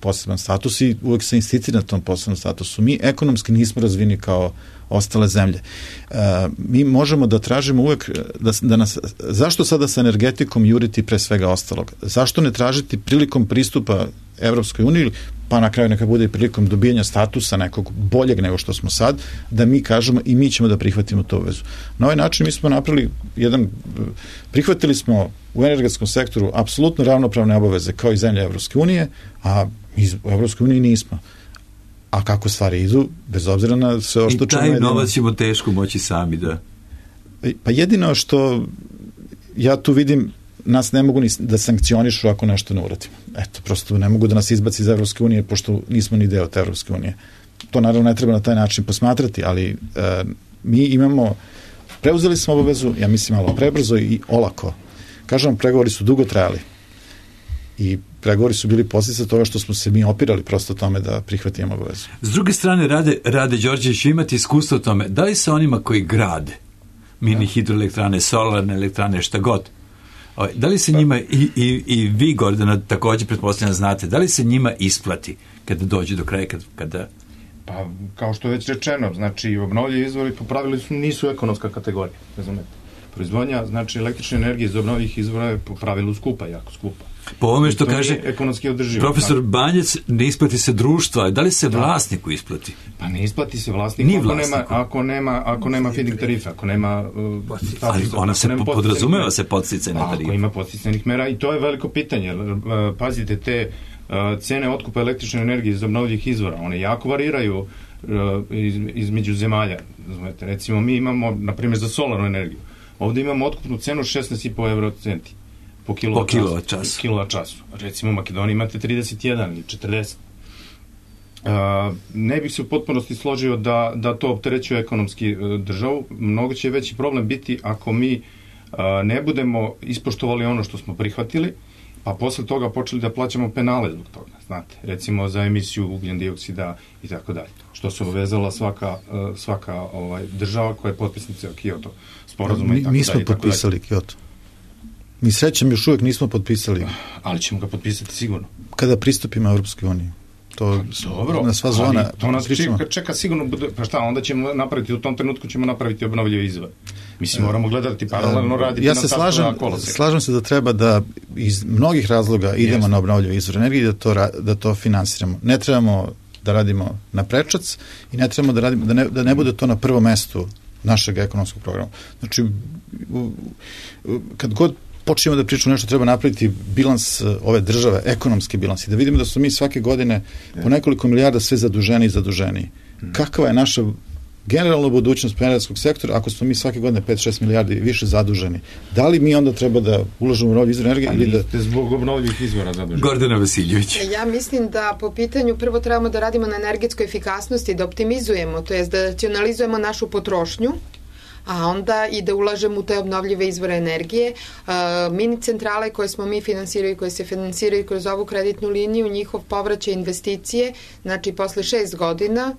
poseban status i uvek se insistira na tom posebnom statusu. Mi ekonomski nismo razvini kao ostale zemlje. Mi možemo da tražimo uvek da nas, zašto sada sa energetikom juriti pre svega ostalog? Zašto ne tražiti prilikom pristupa Evropskoj uniji, pa na kraju neka bude i prilikom dobijanja statusa nekog boljeg nego što smo sad, da mi kažemo i mi ćemo da prihvatimo tu obvezu. Na ovaj način mi smo napravili prihvatili smo u energetskom sektoru apsolutno ravnopravne obaveze kao i zemlje Evropske unije, a u Evropskoj uniji nismo. A kako stvari idu, bez obzira na sve ovo što ćemo... I taj novac ćemo teško moći sami da... Pa jedino što ja tu vidim, nas ne mogu ni da sankcionišu ako nešto ne uradimo. Eto, prosto ne mogu da nas izbaci iz Evropske unije, pošto nismo ni deo te Evropske unije. To naravno ne treba na taj način posmatrati, ali mi imamo, preuzeli smo obavezu, ja mislim malo prebrzo i olako. Kažem, pregovori su dugo trajali i pregovori su bili posljedica toga što smo se mi opirali prosto tome da prihvatimo obavezu. S druge strane, Rade Đorđević, imati iskustvo o tome, da li se onima koji grade mini hidroelektrane, solarne elektrane, šta god, da li se njima, i vi, Gordana, također pretpostavljam znate, da li se njima isplati kada dođe do kraja, kada... Pa, kao što je već rečeno, znači, obnovljivi izvori po pravilu nisu ekonomska kategorija, razumete. Proizvodnja, znači, električne energije iz obnovljivih izvora je po pravilu skupa, jako skupa. Po ovome što kaže profesor Banjac, ne isplati se društva. Da li se vlasniku isplati? Pa ne isplati se vlasniku ako nema feeding tarife, ako nema... Ali ona se podrazumeva se podsticajne tarife. Ako ima podsticajnih mera, i to je veliko pitanje. Pazite, te cene otkupa električne energije iz obnovljivih izvora, one jako variraju između zemalja. Recimo, mi imamo, na primjer, za solarnu energiju, ovdje imamo otkupnu cenu 16,5 eurocenti po kilovat času. Recimo u Makedoniji imate 31 ili 40. Ne bih se u potpunosti složio da to opterećuje ekonomski državu. Mnogo će veći problem biti ako mi ne budemo ispoštovali ono što smo prihvatili, pa posle toga počeli da plaćamo penale zbog toga, znate, recimo za emisiju ugljen dioksida i tako dalje, što se obavezala svaka država koja je potpisnica Kyoto sporazuma i tako dalje. Mi smo potpisali Kyoto. Mi srećem još uvijek nismo potpisali. Ali ćemo ga potpisati sigurno. Kada pristupimo Evropskoj uniji. To dobro, na sva zona. To nas čeka sigurno, pa šta, onda ćemo napraviti, u tom trenutku ćemo napraviti obnovljive izvore. Mislim, moramo gledati paralelno raditi na sastavljena koloseka. Slažem se da treba da iz mnogih razloga idemo na obnovljive izvore energije i da to finansiramo. Ne trebamo da radimo na prečac i ne trebamo da radimo, da ne bude to na prvom mestu našeg ekonomskog programa. Znači, kad god počnemo da pričamo nešto, treba napraviti bilans ove države, ekonomski bilans i da vidimo da su mi svake godine po nekoliko milijarda sve zaduženiji. Kakva je naša generalna budućnost energetskog sektora ako smo mi svake godine 5-6 milijardi više zaduženi? Da li mi onda treba da ulažemo u obnovljive izvore energije ili da... Niste zbog obnovljivih izvora zaduženi. Gordana Vasiljević. Ja mislim da po pitanju prvo trebamo da radimo na energetskoj efikasnosti, da optimizujemo, to jest da racionalizujemo našu potrošnju, a onda i da ulažemo u te obnovljive izvore energije. Mini centrale koje smo mi finansirali, koje se finansiraju kroz ovu kreditnu liniju, njihov povraćaj investicije, znači posle 6 godina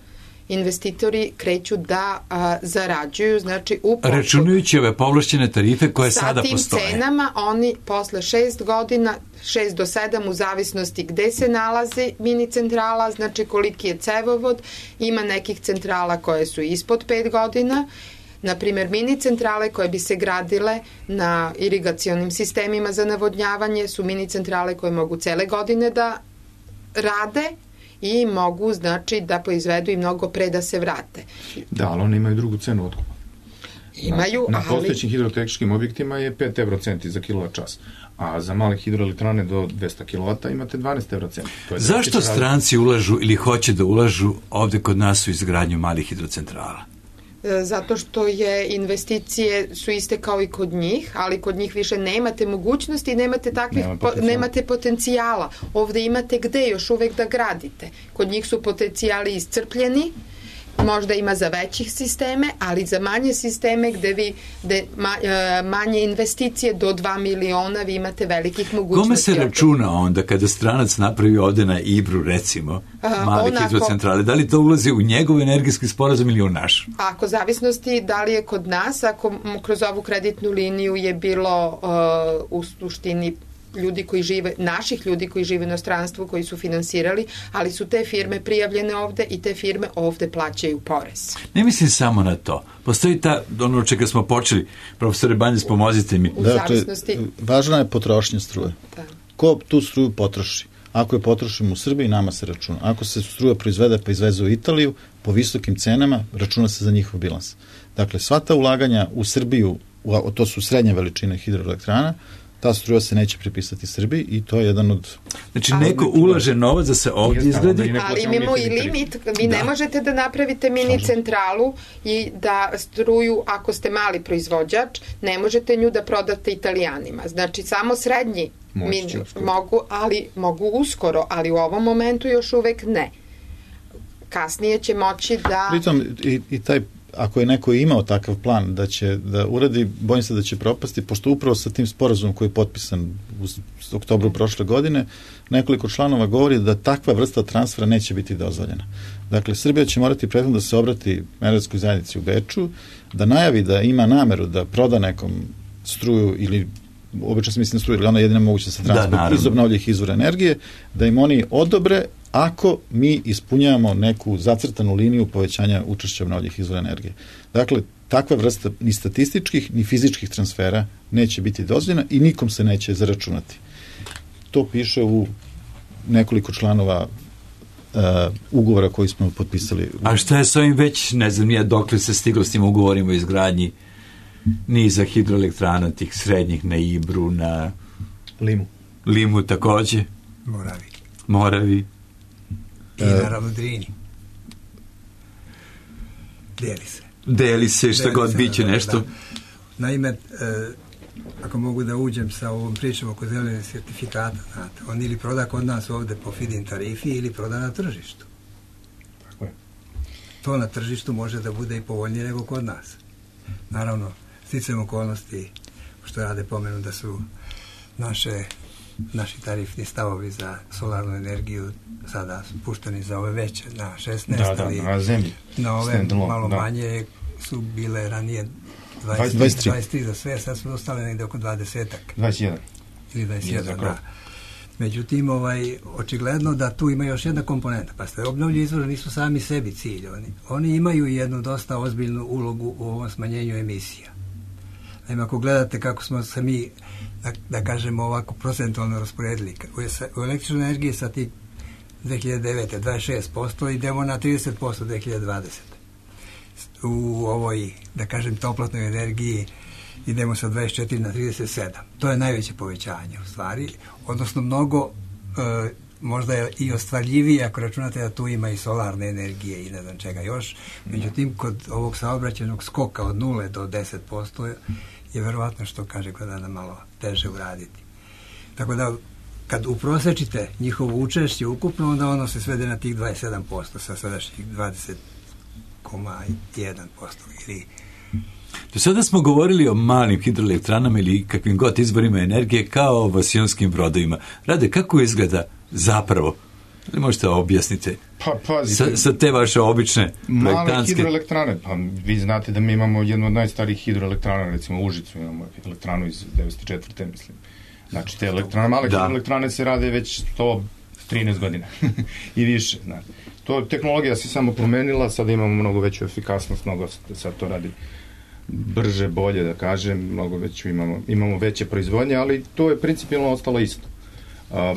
investitori kreću da zarađuju, znači računajući ove povlašćene tarife koje sada postoje. Sa tim cenama oni posle 6 godina, 6 do 7 u zavisnosti gde se nalazi mini centrala, znači koliki je cevovod, ima nekih centrala koje su ispod 5 godina, na primjer mini centrale koje bi se gradile na irigacionim sistemima za navodnjavanje su mini centrale koje mogu cele godine da rade i mogu, znači, da proizvedu i mnogo pre da se vrate. Da, ali one imaju drugu cenu otkupa. Imaju, na postojećim hidrotehničkim objektima je 5 eurocenti za kilovat čas, a za male hidroelektrane do 200 kW imate 12 eurocenti. Zašto stranci ulažu ili hoće da ulažu ovde kod nas u izgradnju malih hidrocentrala? zato što je investicije su iste kao i kod njih, ali kod njih više nemate mogućnosti, nemate potencijala. Ovde imate gde još uvek da gradite. Kod njih su potencijali iscrpljeni, možda ima za većih sisteme, ali za manje sisteme gde manje investicije do 2 miliona vi imate velikih mogućnosti. Kome se računa onda kada stranac napravi ovde na Ibru, recimo, male hidrocentrale? Da li to ulazi u njegov energijski sporazum ili u naš? Ako zavisnosti da li je kod nas, ako kroz ovu kreditnu liniju je bilo u suštini ljudi koji žive, naših ljudi koji žive u inostranstvu, koji su finansirali, ali su te firme prijavljene ovde i te firme ovde plaćaju porez. Ne mislim samo na to. Postoji ono od čega smo počeli. Profesore Banjac, pomozite mi. Zavisnosti... Važna je potrošnja struje. Da. Ko tu struju potroši? Ako je potrošimo u Srbiji, nama se računa. Ako se struja proizvede pa izveze u Italiju, po visokim cenama, računa se za njihov bilans. Dakle, sva ta ulaganja u Srbiju, to su srednje veličine hidroelektrana, ta struja se neće pripisati Srbiji i to je jedan od... Znači, neko ulaže novac da se ovdje izgradi. Ali imamo i limit. Vi ne možete da napravite mini centralu i da struju, ako ste mali proizvođač, ne možete nju da prodate Italijanima. Znači, samo srednji mogu uskoro, ali u ovom momentu još uvek ne. Kasnije će moći da... Pritom, i taj ako je neko imao takav plan da će da uradi, bojim se da će propasti, pošto upravo sa tim sporazumom koji je potpisan u oktobru prošle godine, nekoliko članova govori da takva vrsta transfera neće biti dozvoljena. Dakle, Srbija će morati prethodno da se obrati energetskoj zajednici u Beču, da najavi da ima nameru da proda nekom struju ili obično se misli na struju, ili ona jedina moguća sa transport iz obnovljivih izvora energije, da im oni odobre ako mi ispunjavamo neku zacrtanu liniju povećanja učešća obnovljivih izvora energije. Dakle, takva vrsta ni statističkih, ni fizičkih transfera neće biti dozvoljena i nikom se neće zaračunati. To piše u nekoliko članova ugovora koji smo potpisali. A šta je s ovim već, ne znam nije dokle se stiglo s tim ugovorima o izgradnji niza hidroelektrana, tih srednjih na Ibru, na Limu takođe. Moravi. I naravno Drini. Deli se, šta god biće nešto. Da. Naime, ako mogu da uđem sa ovom pričom oko zelenih sertifikata, znate, on ili proda kod nas ovde po feed-in tarifi ili proda na tržištu. Tako je. To na tržištu može da bude i povoljnije nego kod nas. Naravno, sticajem okolnosti, što rade pomenu da su naši tarifni stavovi za solarnu energiju sada pušteni za ove veće na 16, ali na zemlji. Na ove malo manje su bile ranije 23 za sve, sad su ostale negde oko 20-ak. 21. Ili 21, da. Međutim, očigledno da tu ima još jedna komponenta. Pa ste obnovljivi izvori nisu sami sebi cilj. Oni imaju jednu dosta ozbiljnu ulogu u ovom smanjenju emisija. Naime, ako gledate kako smo se mi, da kažemo ovako, procentualno rasporedili, u električnoj energiji sa tih 2009. 26% idemo na 30% 2020. U ovoj, da kažem, toplotnoj energiji idemo sa 24 na 37. To je najveće povećanje u stvari, odnosno mnogo možda je i ostvarljivije ako računate da tu ima i solarne energije i ne znam čega još. Međutim, kod ovog saobraćajnog skoka od 0 do 10% je verovatno, što kaže Gordana, malo teže uraditi. Tako da, kad uprosečite njihovo učešće ukupno, onda ono se svede na tih 27% sa sadašnjih 20,1% ili... Do sada smo govorili o malim hidroelektranama ili kakvim god izvorima energije kao o vasionskim brodovima. Rade, kako izgleda zapravo? Ili možete objasniti? Sa te vaše obične projektantske... Male hidroelektrane, pa vi znate da mi imamo jednu od najstarijih hidroelektrana, recimo u Užicu imamo elektranu iz 1904. mislim. Znači, te male hidroelektrane se rade već 113 godina i više. Znači. Tehnologija se samo promenila, sada imamo mnogo veću efikasnost, mnogo sad to radi brže, bolje, da kažem, mnogo veću imamo veće proizvodnje, ali to je principijalno ostalo isto.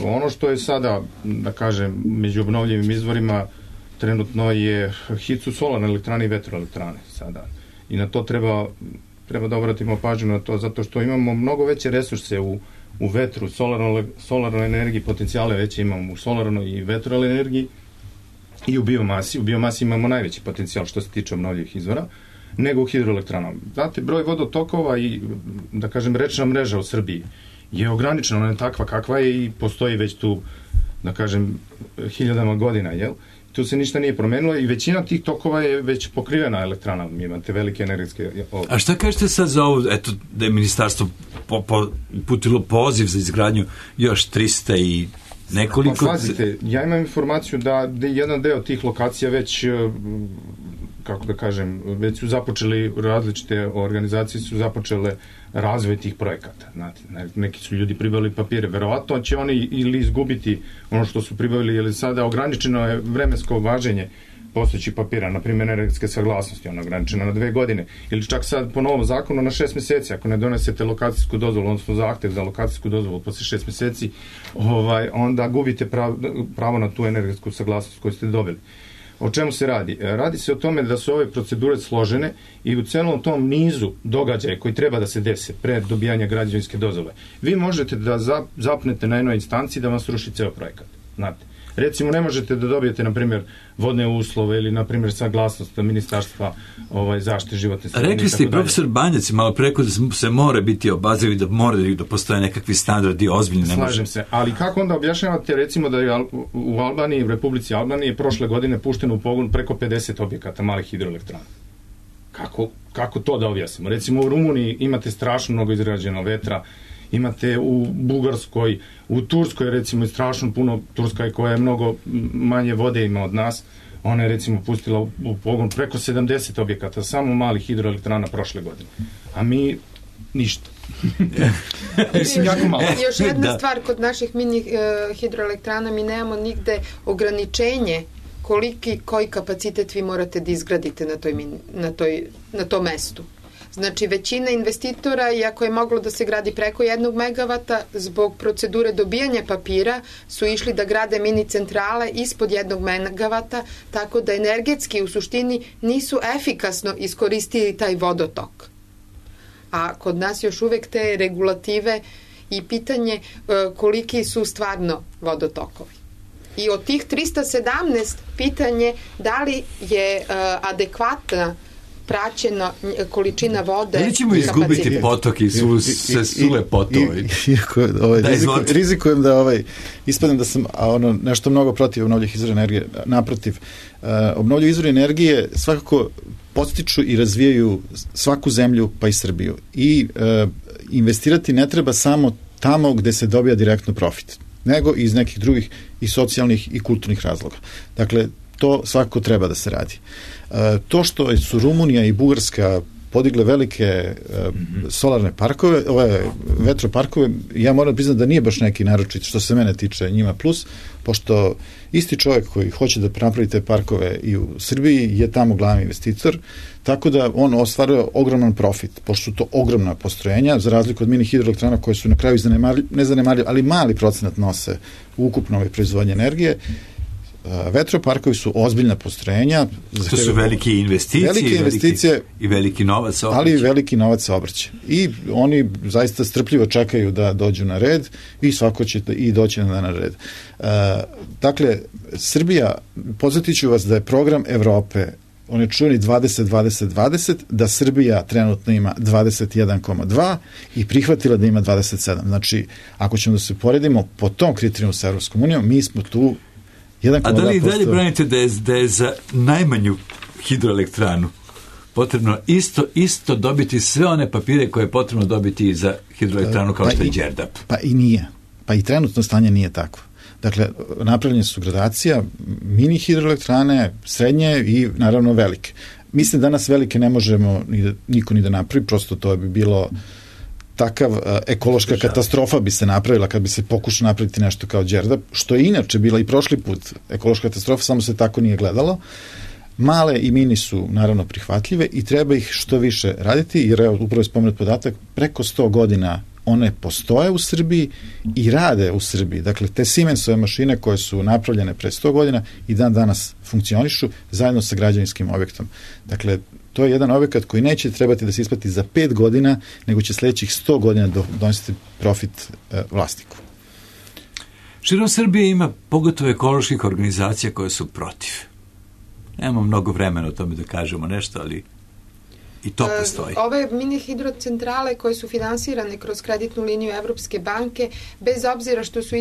Ono što je sada, da kažem, među obnovljivim izvorima trenutno je hit su solarne elektrane i vetroelektrane sada. I na to treba da obratimo pažnju na to, zato što imamo mnogo veće resurse u vetru, solarnoj energiji, potencijale veće imamo u solarnoj i vetroenergiji i u biomasi. U biomasi imamo najveći potencijal što se tiče obnovljivih izvora. nego u hidroelektranama. Znate, broj vodotokova i, da kažem, rečna mreža u Srbiji je ograničena, ona je takva kakva je i postoji već tu, da kažem, hiljadama godina, jel? Tu se ništa nije promenilo i većina tih tokova je već pokrivena elektranama, imate velike energetske... A šta kažete sad za ovo, eto, da je ministarstvo uputilo poziv za izgradnju još 300 i nekoliko... Pa pazite, ja imam informaciju da jedan deo tih lokacija već, kako da kažem, već su započeli, različite organizacije su započele razvoj tih projekata. Znate, neki su ljudi pribavili papire. Verovatno će oni ili izgubiti ono što su pribavili, ili sada ograničeno je vremensko važenje postojećih papira, na primjer energetske saglasnosti, ona ograničena na 2 godine, ili čak sad po novom zakonu na 6 meseci, ako ne donesete lokacijsku dozvolu, odnosno zahtev za lokacijsku dozvolu posle 6 meseci, onda gubite pravo na tu energetsku saglasnost koju ste dobili. O čemu se radi? Radi se o tome da su ove procedure složene i u celom tom nizu događaja koji treba da se dese pre dobijanja građevinske dozvole. Vi možete da zapnete na jednoj instanciji da vam sruši ceo projekat. Znate, recimo ne možete da dobijete, na primjer, vodne uslove ili, na primjer, saglasnost ministarstva zaštite životne sredine. Rekli ste i profesor Banjac malo preko da se mora biti obazrivi, da mora da postoje nekakvi standardi ozbiljni. Slažem se, ali kako onda objašnjavate, recimo, da je u Albaniji, u Republici Albaniji, prošle godine pušteno u pogon preko 50 objekata malih hidroelektrana? Kako to da objasnimo? Recimo u Rumuniji imate strašno mnogo izgrađeno vetra, imate u Bugarskoj, u Turskoj recimo strašno puno, Turska koja je mnogo manje vode ima od nas, ona je recimo pustila u pogon preko 70 objekata, samo malih hidroelektrana prošle godine. A mi ništa. Jako malo. Još jedna stvar, kod naših mini hidroelektrana mi nemamo nigde ograničenje koji kapacitet vi morate da izgradite na tom mestu. Znači, većina investitora, iako je moglo da se gradi preko 1 megavata, zbog procedure dobijanja papira su išli da grade mini centrale ispod 1 megavata, tako da energetski u suštini nisu efikasno iskoristili taj vodotok. A kod nas još uvek te regulative i pitanje koliki su stvarno vodotokovi. I od tih 317 pitanje da li je adekvatna praćena količina vode. Da li ćemo izgubiti potok i sule potovi? Rizikujem da ispadnem da sam nešto mnogo protiv obnovljivih izvora energije. Naprotiv, obnovljivi izvori energije svakako podstiču i razvijaju svaku zemlju, pa i Srbiju. I investirati ne treba samo tamo gde se dobija direktno profit, nego iz nekih drugih i socijalnih i kulturnih razloga. Dakle, to svakako treba da se radi. To što su Rumunija i Bugarska podigle velike solarne parkove, ove vetroparkove, ja moram priznati da nije baš neki naročit što se mene tiče njima plus, pošto isti čovjek koji hoće da napravi te parkove i u Srbiji je tamo glavni investitor, tako da on ostvaruje ogroman profit, pošto su to ogromna postrojenja, za razliku od mini hidroelektrana koje su na kraju ne zanemarljive, ali mali procenat nose u ukupnoj proizvodnji energije. Vetroparkovi su ozbiljna postrojenja. To su velike investicije i veliki novac saobraća. Ali i veliki novac saobraća. I oni zaista strpljivo čekaju da dođu na red i svako će i doći na red. Dakle, Srbija, podsjetit ću vas da je program Evrope, on je čuveni 20-20-20, da Srbija trenutno ima 21,2 i prihvatila da ima 27. Znači, ako ćemo da se poredimo po tom kriterijumu sa Evropskom unijom, mi smo tu 1,2%. A da li dalje branite da je za najmanju hidroelektranu potrebno isto dobiti sve one papire koje je potrebno dobiti za hidroelektranu kao što je Đerdap? Pa i nije. Pa i trenutno stanje nije takvo. Dakle, napravljene su gradacija, mini hidroelektrane, srednje i naravno velike. Mislim danas velike ne možemo niko ni da napravi, prosto to bi bilo takav ekološka katastrofa bi se napravila kad bi se pokušao napraviti nešto kao Đerdap, što je inače bila i prošli put ekološka katastrofa, samo se tako nije gledalo. Male i mini su naravno prihvatljive i treba ih što više raditi, jer upravo je spomenut podatak, preko 100 godina one postoje u Srbiji i rade u Srbiji. Dakle, te Siemensove mašine koje su napravljene pre 100 godina i dan danas funkcionišu zajedno sa građevinskim objektom. Dakle, to je jedan objekat koji neće trebati da se isplati za 5 godina, nego će sledećih 100 godina donositi profit vlasniku. Širom Srbije ima pogotovo ekoloških organizacija koje su protiv. Nemamo mnogo vremena o tome da kažemo nešto, ali... i to postoji. Ove mini hidrocentrale koje su finansirane kroz kreditnu liniju Evropske banke, bez obzira što su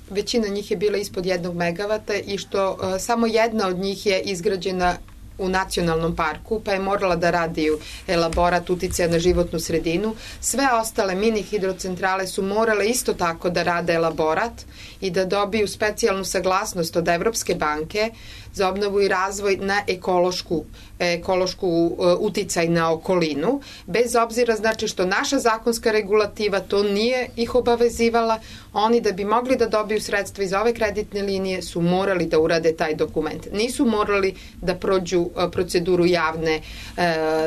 većina njih je bila ispod 1 megavata i što samo jedna od njih je izgrađena u nacionalnom parku, pa je morala da radi elaborat uticaja na životnu sredinu. Sve ostale mini hidrocentrale su morale isto tako da rade elaborat i da dobiju specijalnu saglasnost od Evropske banke za obnovu i razvoj na ekološku uticaj na okolinu, bez obzira znači što naša zakonska regulativa to nije ih obavezivala, oni da bi mogli da dobiju sredstva iz ove kreditne linije su morali da urade taj dokument. Nisu morali da prođu proceduru javne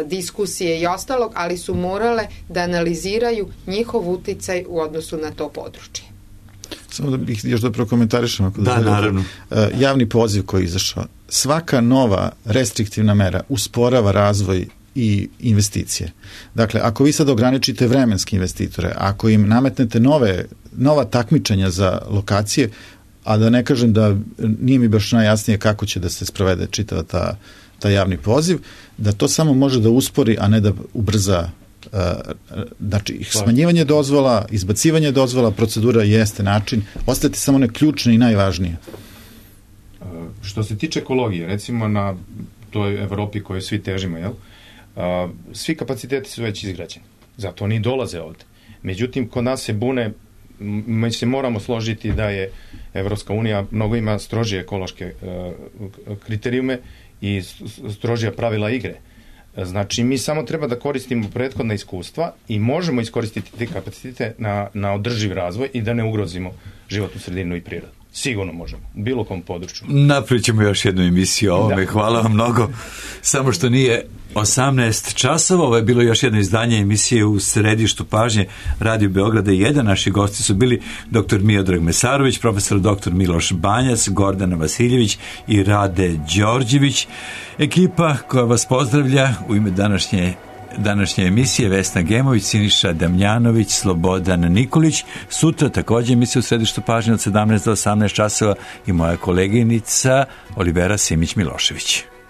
diskusije i ostalog, ali su morale da analiziraju njihov uticaj u odnosu na to područje. Samo da bih još da prokomentarišem. Da, naravno. Javni poziv koji je izašao. Svaka nova restriktivna mera usporava razvoj i investicije. Dakle, ako vi sad ograničite vremenske investitore, ako im nametnete nova takmičenja za lokacije, a da ne kažem da nije mi baš najjasnije kako će da se sprovede čitava ta javni poziv, da to samo može da uspori, a ne da ubrza znači smanjivanje dozvola, izbacivanje dozvola, procedura jeste način, ostati samo one ključne i najvažnije. Što se tiče ekologije, recimo na toj Evropi kojoj svi težimo, jel? Svi kapaciteti su već izgrađeni, zato oni dolaze ovde. Međutim, kod nas se bune, mi se moramo složiti da je Evropska unija mnogo ima strožije ekološke kriterijume i strožija pravila igre. Znači, mi samo treba da koristimo prethodna iskustva i možemo iskoristiti te kapacitete na održiv razvoj i da ne ugrozimo životnu sredinu i prirodu. Sigurno možemo, u bilo kom području. Napravit ćemo još jednu emisiju o ovome, hvala vam mnogo. Samo što nije 18 časova, ovo je bilo još jedno izdanje emisije u središtu pažnje Radio Beograda 1. Naši gosti su bili dr. Miodrag Mesarović, profesor dr. Miloš Banjac, Gordana Vasiljević i Rade Đorđević. Ekipa koja vas pozdravlja u ime današnje emisije: Vesna Gemović, Siniša Damljanović, Slobodan Nikolić. Sutra također emisija u središtu pažnje od 17 do 18 časova i moja koleginica Olivera Simić-Milošević.